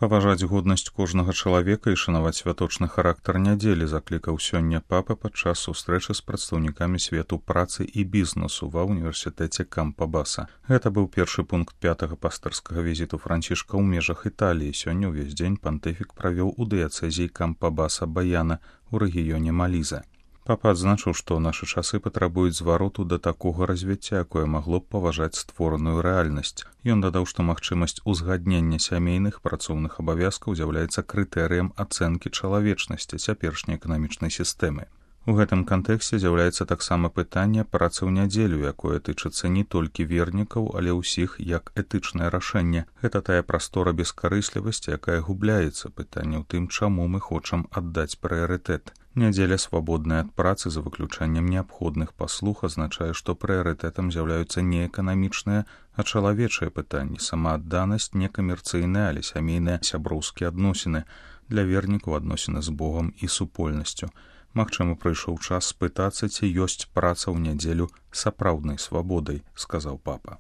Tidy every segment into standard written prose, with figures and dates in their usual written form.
Паважаць годнасць кожнага чалавека і шанаваць святочны характар нядзелі заклікаў сёння папа падчас сустрэчы з прадстаўнікамі свету працы і бізнесу ва ўніверсітэце Кампабаса. Гэта быў першы пункт 5-го пастырскага візіту Францішка ў межах Італіі. Сёння ўвесь дзень пантыфік правёў у дыяцэзіі Кампабаса Баяна ў рэгіёне Маліза. Папа адзначыў, што нашы часы патрабуюць звароту да такога развіцця, якое магло б паважаць створаную рэальнасць. Ён дадаў, што магчымасць узгаднення сямейных працоўных абавязкаў з'яўляецца крытэрыем ацэнкі чалавечнасці цяперашняй эканамічнай сістэмы. У гэтым кантэксце з'яўляецца таксама пытанне працы ў нядзелю, якое тычыцца не толькі вернікаў, але ўсіх як этычнае рашэнне. Гэта тая прастора бескарыслівасці, якая губляецца. Пытанне ў тым, чаму мы хочам аддаць прыярытэт. Нядзеля свабодная ад працы за выключэннем неабходных паслуг азначае, што прыярытэтам з'яўляюцца не эканамічныя, а чалавечыя пытанні, самаадданасць, не камерцыйныя, але сямейныя сяброўскія адносіны, для вернікаў адносіны з Богам і супольнасцю. Магчыма, прыйшоў час спытацца, ці ёсць праца ў нядзелю сапраўднай свабодай, сказаў папа.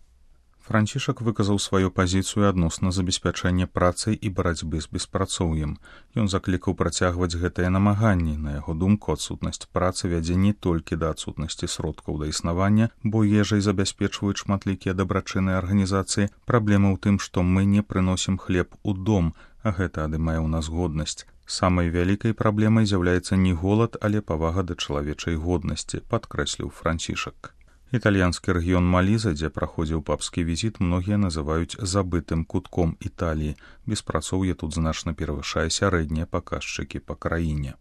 Францішак выказаў сваю пазіцыю адносна забеспячэння працай і барацьбы з беспрацоўем. Ён заклікаў працягваць гэтыя намаганні. На яго думку, адсутнасць працы вядзе не толькі да адсутнасці сродкаў да існавання, бо ежай забяспечваюць шматлікія дабрачынныя арганізацыі. Праблема ў тым, што мы не прыносім хлеб у дом, а гэта адымае ў нас годнасць. Самай вялікай праблемай з'яўляецца не голад, але павага да чалавечай годнасці, падкрэсліў Францішак. Італьянскі рэгіён Маліза, дзе праходзіў папскі візіт, многія называюць забытым кутком Італіі. Беспрацоўе тут значна перавышае сярэднія паказчыкі па краіне.